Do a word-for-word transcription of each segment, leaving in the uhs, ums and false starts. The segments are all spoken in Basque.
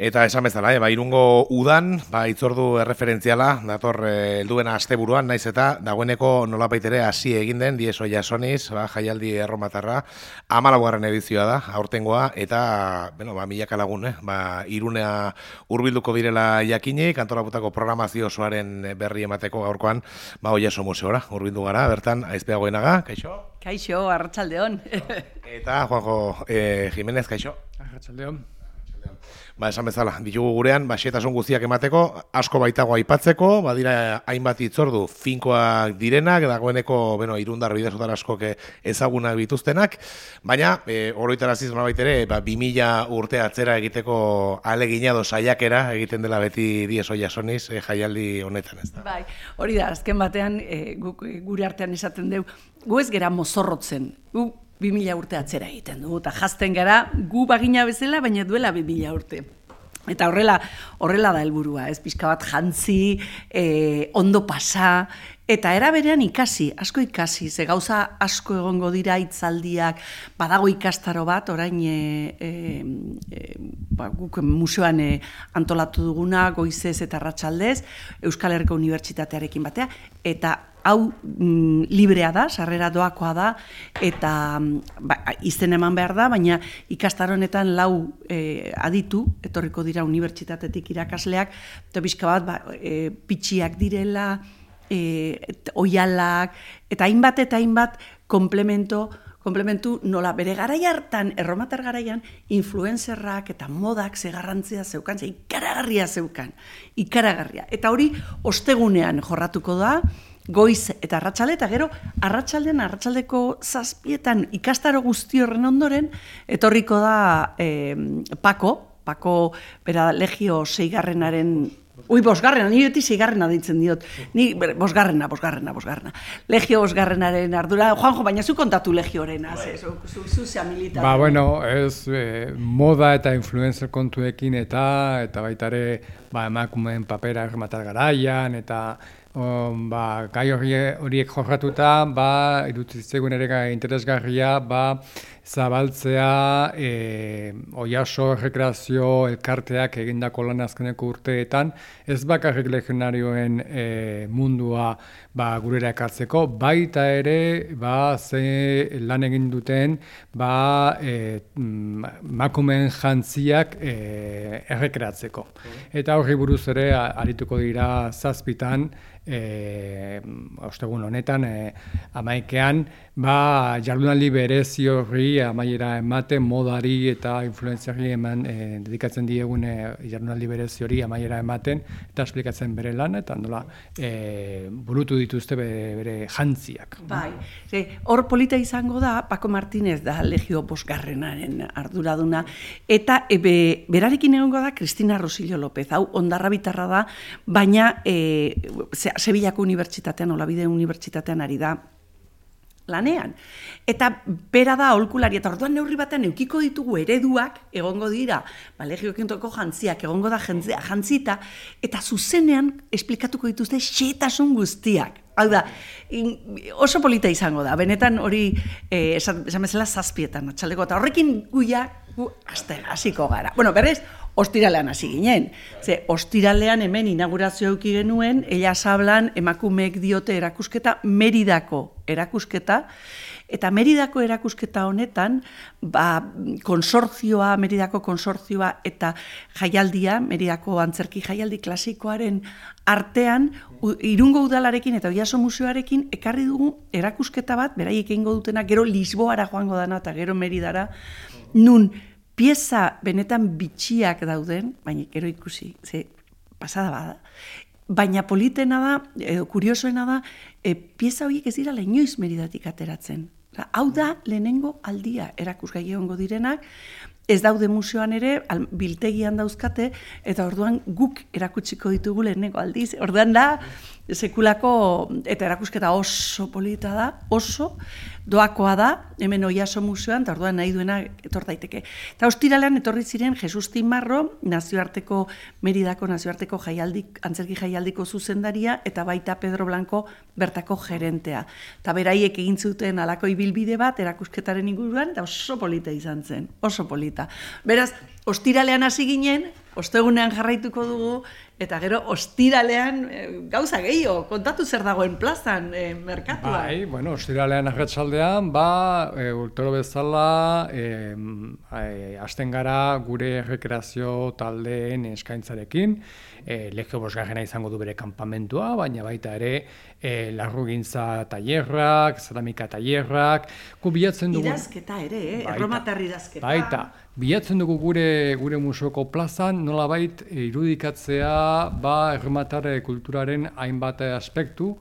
Eta esan bezala, eh, ba, Irungo udan, ba, itzordu erreferentziala, dator eh, helduena asteburuan, naiz eta dagoeneko nolapait ere hasi egin den Dieso Jasoniz, ba, jaialdi erromatarra, hamalaugarren edizioa da, aurtengoa, eta, bueno, ba, milaka lagun, eh, ba, Irunea hurbilduko direla jakinik, antolakutako programazio osoaren berri emateko gaurkoan, ba, Oiaso museora hurbildu gara, bertan, Aizpea Goenaga, kaixo? Kaixo, arratsaldeon. Eta Juanjo eh, Jimenez, kaixo? Arratsaldeon. Ba, esan bezala, ditugu gurean, ba, xetasun guztiak emateko, asko baitago aipatzeko, badira hainbat itzordu finkoak direnak, dagoeneko, bueno, irundar bidezotar askok ezagunak bituztenak, baina, e, oroitaraziz nolabait ere, ba, bi mila urte atzera egiteko aleginado saiakera egiten dela beti Dieso Jasoniz e, jaialdi honetan, ez da? Bai, hori da, azken batean, e, guk, gure artean esaten deu, gu ez gera mozorrotzen, gu bi mila urte atzera egiten dugu, eta jazten gara gu bagina bezala, baina duela bi mila urte. Eta horrela, horrela da helburua, ez pixka bat jantzi, e, ondo pasa, eta eraberean ikasi, asko ikasi, ze gauza asko egongo dira hitzaldiak, badago ikastaro bat, orain e, e, e, ba, guk museoan e, antolatu duguna, goizez eta arratsaldez, Euskal Herriko Unibertsitatearekin batea, eta hau mm, librea da, sarrera doakoa da, eta ba, izen eman behar da, baina ikastaronetan lau e, aditu, etorriko dira unibertsitatetik irakasleak, eta bizka bat ba, e, pitxiak direla, e, oialak, eta hainbat eta hainbat komplemento, komplementu nola bere garai hartan, erromatar garaian, influencerrak eta modak ze garrantzia zeukan, ze ikaragarria zeukan, ikaragarria. Eta hori ostegunean jorratuko da, goiz eta arratsalde, eta gero arratsaldean arratsaldeko zazpietan ikastaro guzti horren ondoren, etorriko da eh, Pako, Pako bera legio seigarrenaren, ui, bosgarrena, ni beti seigarrena ditzen diot, ni bosgarrena, bosgarrena, bosgarrena, legio bosgarrenaren ardura, Juanjo, baina zu kontatu legiorena, ze, zu, zu, zu zea militar. Ba, bueno, ez eh, moda eta influencer kontuekin eta, eta baita ere, ba, emakumeen papera errematar garaian, eta Um, ba, gai horiek jorratuta, ba, irutitzaigun ere gai interesgarria, ba, zabaltzea e, Oiaso rekreazio elkarteak egindako lan azkeneko urteetan, ez bakarrik legionarioen e, mundua ba, gurera ekartzeko, baita ere ba, ze lan egin duten ba, e, makumen jantziak e, errekreatzeko. Eta horri buruz ere arituko dira zazpitan, E, ostegun honetan e, amaikean ba, jardunaldi berezi horri amaiera ematen modari eta influenziari eman e, dedikatzen diegun e, jardunaldi berezi hori amaiera ematen eta esplikatzen bere lan eta nola e, burutu dituzte bere, bere jantziak. Bai, ze, hor polita izango da Pako Martinez da legio bosgarrenaren arduraduna eta e, be, berarekin egongo da Cristina Rosillo López, hau ondarra bitarra da, baina e, ze, Sevillako Unibertsitatean, Olabide Unibertsitatean ari da lanean. Eta bera da aholkulari, eta orduan neurri batean eukiko ditugu ereduak, egongo dira, ba, legiokentoko jantziak, egongo da jantzia, jantzita, eta zuzenean esplikatuko dituzte xetasun guztiak. Hau da, in, oso polita izango da, benetan hori eh, esan, esan bezala zazpietan atxaldeko, eta horrekin guia, gu, azte, hasiko gara. Bueno, berrez, ostiralean hasi ginen. Ze, ostiralean hemen inaugurazio eduki genuen, Ellas Hablan emakumeek diote erakusketa, Meridako erakusketa, eta Meridako erakusketa honetan, ba, konsortzioa, Meridako konsortzioa eta jaialdia, Meridako antzerki jaialdi klasikoaren artean, Irungo udalarekin eta Oiaso museoarekin ekarri dugu erakusketa bat, beraiek egingo dutena, gero Lisboara joango dana eta gero Meridara, nun pieza benetan bitxiak dauden, baina gero ikusi, ze pasada bada, baina politena da, edo kuriosoena da, e, pieza horiek ez dira inoiz Meridatik ateratzen. Hau da lehenengo aldia erakusgai egongo direnak, ez daude museoan ere, al, biltegian dauzkate, eta orduan guk erakutsiko ditugu lehenengo aldiz. Orduan da, sekulako, eta erakusketa oso polita da, oso, doakoa da, hemen Oiaso museoan, eta orduan nahi duena etor daiteke. Eta ostiralean etorri ziren Jesus Timarro, nazioarteko, Meridako nazioarteko jaialdik, antzerki jaialdiko zuzendaria, eta baita Pedro Blanco bertako gerentea. Eta beraiek egin zuten halako ibilbide bat, erakusketaren inguruan, eta oso polita izan zen, oso polita. Beraz, ostiralean hasi ginen, ostegunean jarraituko dugu, eta gero ostiralean e, gauza gehiago, kontatu zer dagoen plazan, e, merkatuan. Bai, bueno, ostiralean arratsaldean, ba, e, urtero bezala, e, e, hasten gara gure rekreazio taldeen eskaintzarekin, e, Legio bosgarrena izango du bere kanpamentua, baina baita ere, e, larrugintza tailerrak, zeramika tailerrak, gu bilatzen dugu... Idazketa ere, eh? Erromatar idazketa. Baita, bilatzen dugu gure gure museoko plazan nolabait irudikatzea ba erromatar kulturaren hainbat aspektu,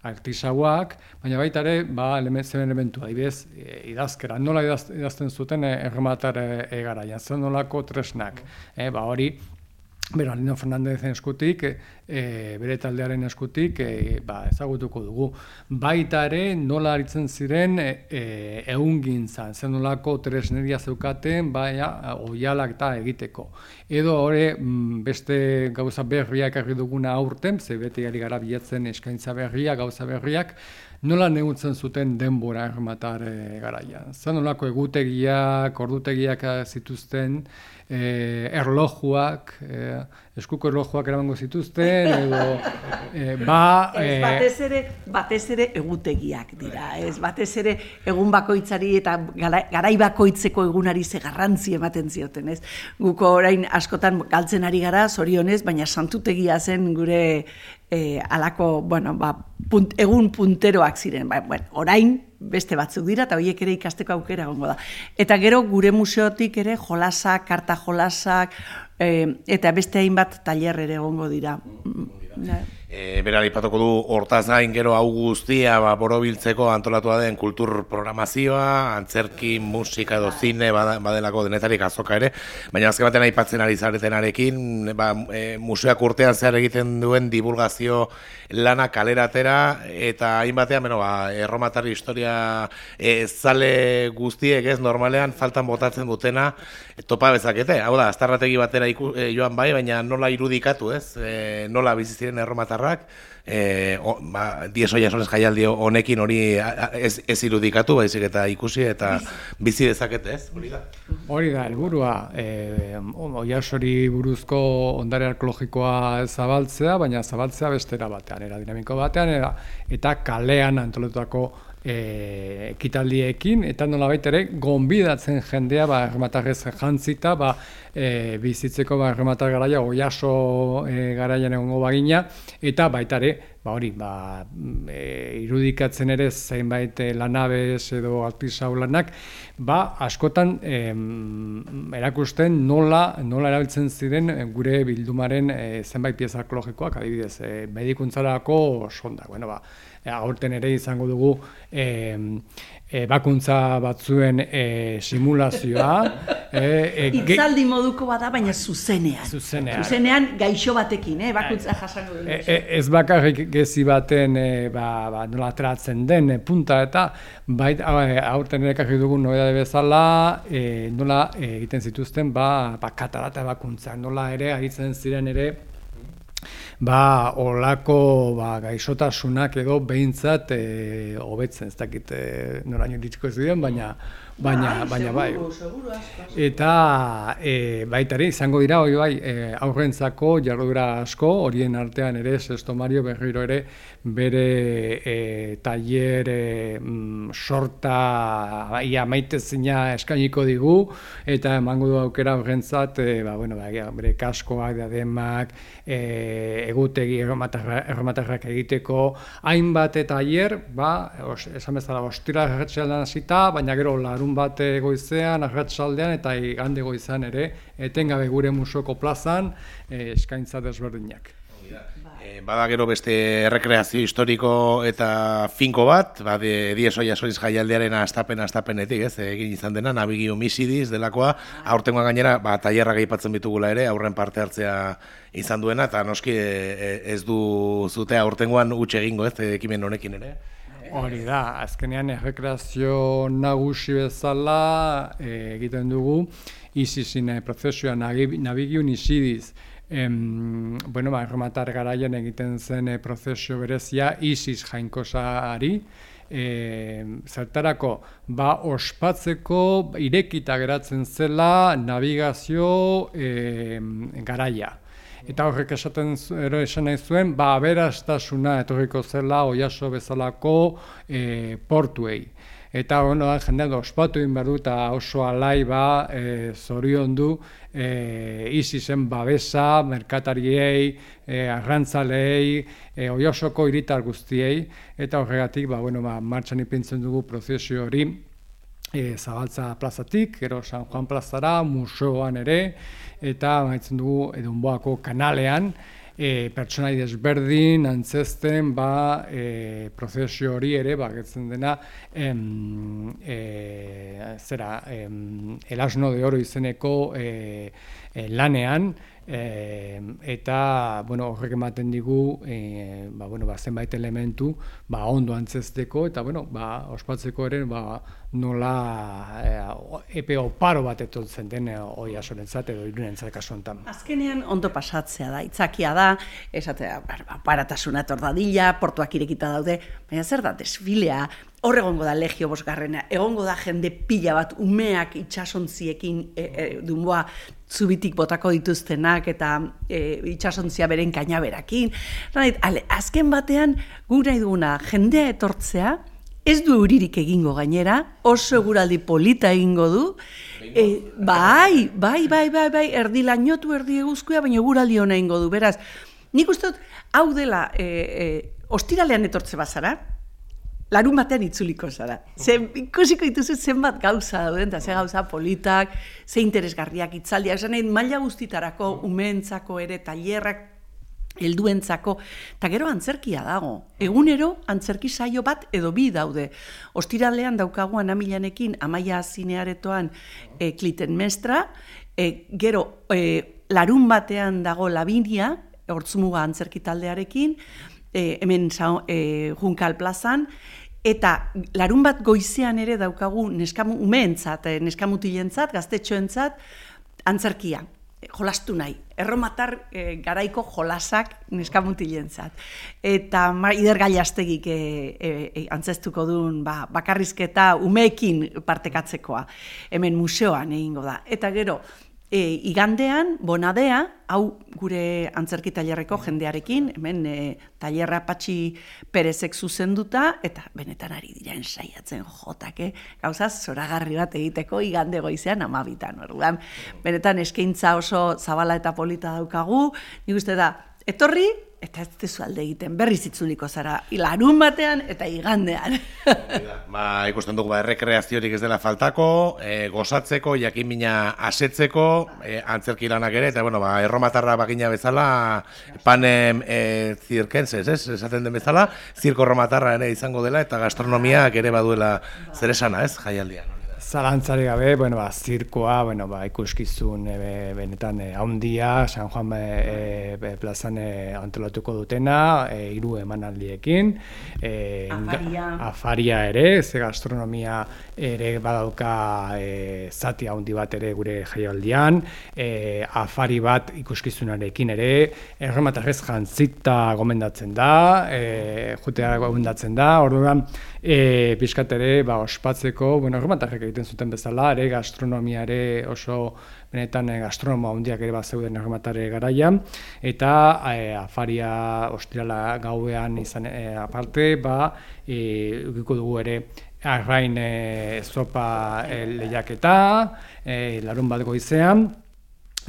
artisauak, baina baita ere ba elementu adibidez idazkera, nola idaz, idazten zuten erromatar e, garaian, zen nolako tresnak, e, ba hori Bernardino Fernandezen eskutik, e, bere taldearen eskutik, e, ba, ezagutuko dugu. Baita ere, nola aritzen ziren e, egungintzan, zen nolako tresneria zeukaten, baina oialak eta egiteko. Edo hori beste gauza berriak ekarri duguna aurten, ze beti ari gara bilatzen eskaintza berriak, gauza berriak, nola negutzen zuten denbora erromatar e, garaian. Zen nolako egutegiak, ordutegiak zituzten, E, erlojuak, e, eskuko erlojuak eramango zituzten, edo e, ba... Ez, e, batez ere, batez ere egutegiak dira, ez batez ere egun bakoitzari eta garai bakoitzeko egunari ze garrantzi ematen zioten, ez? Guko orain askotan galtzen ari gara, zorionez, baina santutegia zen gure e, alako, bueno, ba, punt, egun punteroak ziren, ba, bueno, orain beste batzuk dira, eta horiek ere ikasteko aukera egongo da. Eta gero gure museotik ere jolasak, karta jolasak, e, eta beste hainbat tailer ere egongo dira. E, Bera, aipatuko du hortaz gain gero hau guztia ba, borobiltzeko antolatua den kultur programazioa, antzerki, musika edo zine badelako denetarik azoka ere, baina azken batean aipatzen ari zaretenarekin, ba, e, museoak urtean zehar egiten duen divulgazio lana kaleratera, eta hainbatean, bueno, ba, erromatar historia e, zale guztiek ez normalean faltan botatzen dutena e, topa bezakete. Hau da, aztarrategi batera iku, e, joan bai, baina nola irudikatu ez, e, nola bizi ziren erromatar Eh, o, ba, Diez Oiasones jaialdi honekin hori ez, ez irudikatu, baizik eta ikusi eta bizi dezakete, ez? Hori da. Hori da, helburua, eh, Oiasori buruzko ondare arkeologikoa zabaltzea, baina zabaltzea bestera batean, era dinamiko batean, era, eta kalean antolatutako E, ekitaldiekin, eta nolabait ere gonbidatzen jendea ba, erromatarrez jantzita ba, e, bizitzeko ba, erromatar garaia Oiaso e, garaian egongo bagina, eta baita ere ba, hori, ba, e, irudikatzen ere zeinbait lanabez edo artisau lanak, ba, askotan e, erakusten nola, nola erabiltzen ziren gure bildumaren e, zenbait pieza arkeologikoak, adibidez, e, medikuntzarako sonda, bueno, ba, aurten ere izango dugu e, e, bakuntza batzuen e, simulazioa. E, e, Itzaldi moduko bada, baina zuzenean. Zuzenean. Zuzenean gaixo batekin, eh, bakuntza jasango dugu. E, e, ez bakarrik gezi baten e, ba, ba, nola atratzen den e, punta eta bait, aurten ere ekarri dugu nobedade bezala e, nola e, egiten zituzten ba, ba, katarata bakuntza, nola ere aritzen ziren ere ba, olako ba, gaixotasunak edo behintzat e, hobetzen, ez dakit e, noraino iritsiko ziren, baina baina baina bai. Eta e, baita ere izango dira hori bai e, aurrentzako jarduera asko, horien artean ere Sesto Mario berriro ere bere e, tailer e, mm, sorta ia maitezina eskainiko digu eta emango du aukera aurrentzat e, ba, bueno, ba, bere kaskoak, diademak, e, egutegi erromatarrak egiteko hainbat tailer, ba, esan bezala ostira arratsaldean hasita, baina gero larun bat goizean, arratsaldean eta igande goizean ere etengabe gure museoko plazan e, eskaintza desberdinak. E, bada gero beste errekreazio historiko eta finko bat, ba, Diez Oiasones jaialdiaren astapen astapenetik, ez, egin izan dena, Nabigi Homicidis delakoa, aurtengoa gainera, ba, tailerrak aipatzen bitugula ere, aurren parte hartzea izan duena, eta noski e, ez du zute aurtengoan huts egingo, ez, ekimen honekin ere. Hori da, azkenean errekreazio nagusi bezala e, egiten dugu Isisine prozesioa Nabigi Homicidis em, bueno, ba, erromatar garaian egiten zen e, prozesio berezia Isis jainkosari, e, zertarako, ba, ospatzeko irekita geratzen zela navigazio e, garaia. Eta horrek esaten ero esan nahi zuen, ba, aberastasuna etorriko zela Oiaso bezalako e, portuei. Eta bueno, jendeak ospatu egin behar du eta oso alai ba e, zorion du e, Isisen babesa, merkatariei, e, arrantzalei, e, Oiasoko hiritar guztiei, eta horregatik ba, bueno, ba, martxan ipintzen dugu prozesio hori e, Zabaltza plazatik, gero San Juan plazara, museoan ere, eta maitzen dugu Edunboako kanalean, E, pertsonai desberdin, antzesten, ba, e, prozesio hori ere, ba, getzen dena, em, e, zera, em, El Asno de Oro izeneko e, e, lanean, e, eta, bueno, horrek ematen digu, e, ba, bueno, ba, zenbait elementu, ba, ondo antzesteko, eta, bueno, ba, ospatzeko ere, ba, nola e, epe oparo bat etortzen den Oiasorentzat edo Irunentzat kasu honetan. Azkenean ondo pasatzea da, itzakia da, esatea, aparatasuna etor dadila, portuak irekita daude, baina zer da, desfilea, hor egongo da Legio bosgarrena, egongo da jende pila bat, umeak itsasontziekin e, e, Dunboa zubitik botako dituztenak eta e, itsasontzia beren kainaberakin. Ale, azken batean, gu nahi duguna, jendea etortzea, ez du euririk egingo gainera, oso eguraldi polita egingo du, e, bai, bai, bai, bai, bai, erdi lainotu, erdi eguzkoa, baina eguraldi hona egingo du, beraz, nik uste dut, hau dela, e, e, ostiralean etortze bazara, larun batean itzuliko zara. Zen, ikusiko dituzu zenbat gauza dauden, eta ze gauza politak, ze interesgarriak itzaldiak, esan nahi, maila guztitarako, umeentzako ere, tailerrak, helduentzako, eta gero antzerkia dago. Egunero antzerki saio bat edo bi daude. Ostiralean daukagu Anamilanekin Amaia Zinearetoan e, Clitemnestra, e, gero e, larun batean dago Lavinia, Hortzmuga antzerki taldearekin, e, hemen e, Junkal plazan, eta larun bat goizean ere daukagu neskamu umeentzat, e, neskamutilentzat, gaztetxoentzat, antzerkia. Jolastu nahi, erromatar e, garaiko jolasak neskamutilentzat. Eta Ider Gaiastegik e, e, e, antzestuko duen ba, bakarrizketa umeekin partekatzekoa. Hemen museoan egingo da. Eta gero, e, igandean, bonadea, hau gure antzerki tailerreko jendearekin, hemen e, tailerra Patxi Perezek zuzenduta, eta benetan ari dira ensaiatzen jotake, gauza zoragarri bat egiteko igande goizean amabitan. Orduan, benetan eskaintza oso zabala eta polita daukagu, nik uste da, etorri, eta ez tezu alde egiten, berriz itzuliko zara, larun batean eta igandean. Ba, ikusten dugu, ba, errekreaziorik ez dela faltako, e, gozatzeko, jakinmina asetzeko, e, antzerki lanak ere, eta, bueno, ba, erromatarra bagina bezala, panem e, zirkentzez, ez? Esaten den bezala, zirko erromatarra ere izango dela, eta gastronomiak ere baduela zer esana, ez? Jaialdian. Zalantzari gabe, bueno, ba, zirkoa, bueno, ba, ikuskizun e, benetan e, haundia, San Juan e, e, plazan e, antolatuko dutena, e, hiru emanaldiekin, e, afaria. afaria ere, ze gastronomia ere badauka e, zati haundi bat ere gure jaialdian, e, afari bat ikuskizunarekin ere, erromatarrez jantzita gomendatzen da, e, jutea gomendatzen da, orduan, e, pixkat ere, ba, ospatzeko, bueno, erromatarrek egiten zuten bezala, ere gastronomia ere oso benetan gastronomo handiak ere bat zeuden erromatare garaian, eta e, afaria ostirala gauean izan e, aparte, ba, e, ukiko dugu ere arrain e, zopa e, lehiaketa, e, larun bat goizean,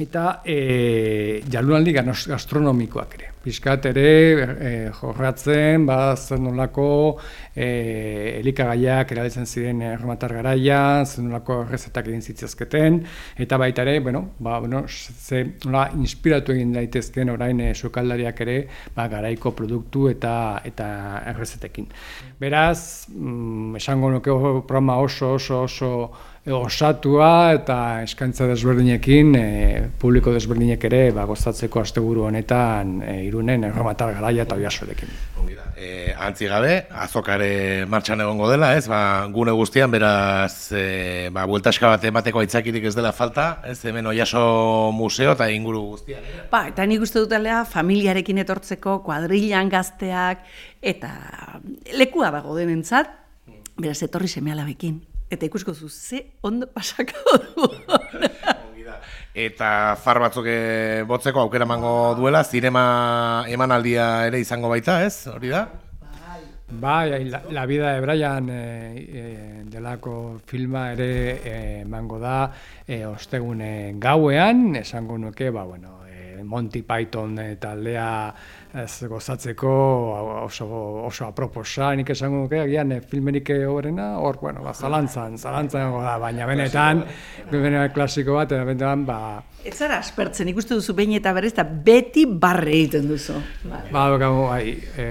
eta e, jardunaldi gastronomikoak ere. Piskat ere e, jorratzen, ba, zer nolako e, elikagaiak erabiltzen ziren erromatar garaian, zer nolako errezetak egin zitzazketen, eta baita ere, bueno, ba, bueno, ze nola inspiratu egin daitezken orain e, sukaldariak ere, ba, garaiko produktu eta eta errezetekin. Beraz, mm, esango nuke programa oso oso oso osatua eta eskaintza desberdinekin, e, publiko desberdinek ere ba, gozatzeko asteburu honetan e, Irunen Erromatar Garaia eta Oiartzurekin. E, antzi gabe, azokare martxan egongo dela, ez? Ba, gune guztian, beraz, e, ba, bueltaska bat emateko aitzakirik ez dela falta, ez? Hemen Oiaso museo eta inguru guztian. Eh? Ba, eta nik uste dutela familiarekin etortzeko, kuadrilan gazteak, eta lekua dago denentzat, beraz, etorri seme-alabekin. Eta ikusko zu, ze ondo pasako du. Eta far batzuk botzeko aukera emango duela, zinema emanaldia ere izango baita, ez? Hori da? Bai, la, la vida de Brian e, e, delako filma ere emango da e, ostegune gauean, esango nuke, ba, bueno, e, Monty Python e, taldea ez gozatzeko oso, oso aproposa, nik esango nuke, agian e, filmerik horrena, hor, bueno, ba, zalantzan, zalantzan da, baina benetan, benetan klasiko bat, eta benetan, ba, ez zara aspertzen, ikuste duzu behin eta berrez, eta beti barre egiten duzu. Ba, dukagu, bai, e,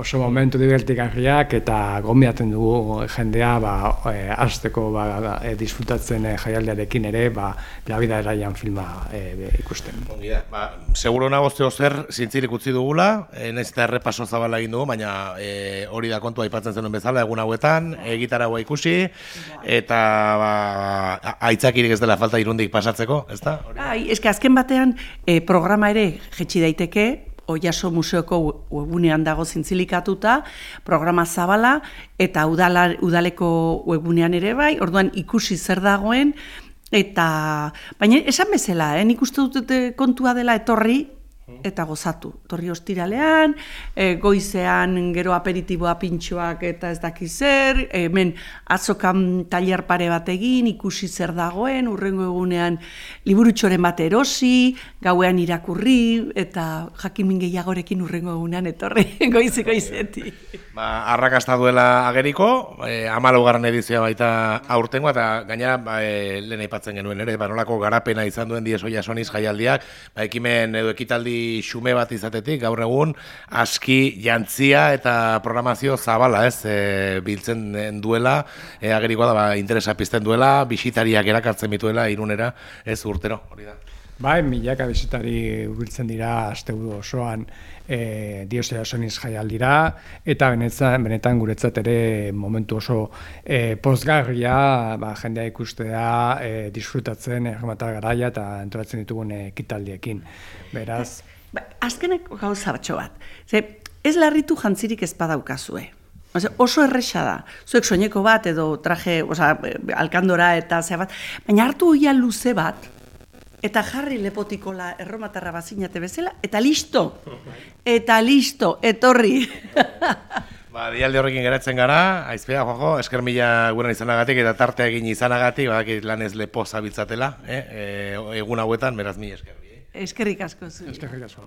oso momentu divertigarriak eta gonbidatzen dugu jendea, ba, e, hasteko ba, e, disfrutatzen e, jaialdiarekin ere, ba, La vida de Brian filma e, ikusten. Ba, seguro nago zeo zer zintzirik utzi dugula, e, nahiz eta errepaso zabala egin dugu, baina e, hori da kontua aipatzen zenuen bezala, egun hauetan, egitaragoa ikusi, eta ba, aitzakirik ez dela falta Irundik pasatzeko, ez da? Bai, eske azken batean e, programa ere jetxi daiteke, Oiaso museoko webunean dago zintzilikatuta, programa zabala, eta udala, udaleko webunean ere bai, orduan ikusi zer dagoen, eta baina esan bezala, eh, nik uste dut kontua dela etorri, eta gozatu. Torri ostiralean, e, goizean gero aperitiboa pintxoak eta ez daki zer, hemen azokan tailer pare bat egin, ikusi zer dagoen, urrengo egunean liburutxoren bat erosi, gauean irakurri, eta jakimin gehiagorekin urrengo egunean etorri goizi goizeti. Ba, arrakasta duela ageriko, e, hamalaugarren edizioa baita aurtengoa, eta gainera ba, e, lehen aipatzen genuen ere, ba, nolako garapena izan duen Diez Oiasoniz jaialdiak, ba, ekimen edo ekitaldi xume bat izatetik, gaur egun, aski jantzia eta programazio zabala, ez, e, biltzen duela, e, agerikoa da, ba, interesa pizten duela, bisitariak erakartzen bituela Irunera, ez urtero, hori da. Bai, milaka bisitari hurbiltzen dira asteburu osoan e, Diez Oiasoniz jaialdira, eta benetan, benetan guretzat ere momentu oso e, pozgarria, ba, jendea ikustea, e, disfrutatzen Erromatar Garaia eta antolatzen ditugun ekitaldiekin. Beraz, ba, azkeneko gauza batxo bat. Ze, ez larritu jantzirik ez badaukazue. Oso erresa da. Zuek soineko bat edo traje, oza, alkandora eta ze bat, baina hartu oia luze bat, eta jarri lepotikola erromatarra bazinate bezala, eta listo, eta listo, etorri. Ba, dialde horrekin geratzen gara, aizpea, Jojo, esker mila gurean izanagatik eta tarte egin izanagatik, badakit lanez lepo zabiltzatela, eh? E, egun hauetan, beraz mi esker. Eskerrik asko zu. eskerrik asko.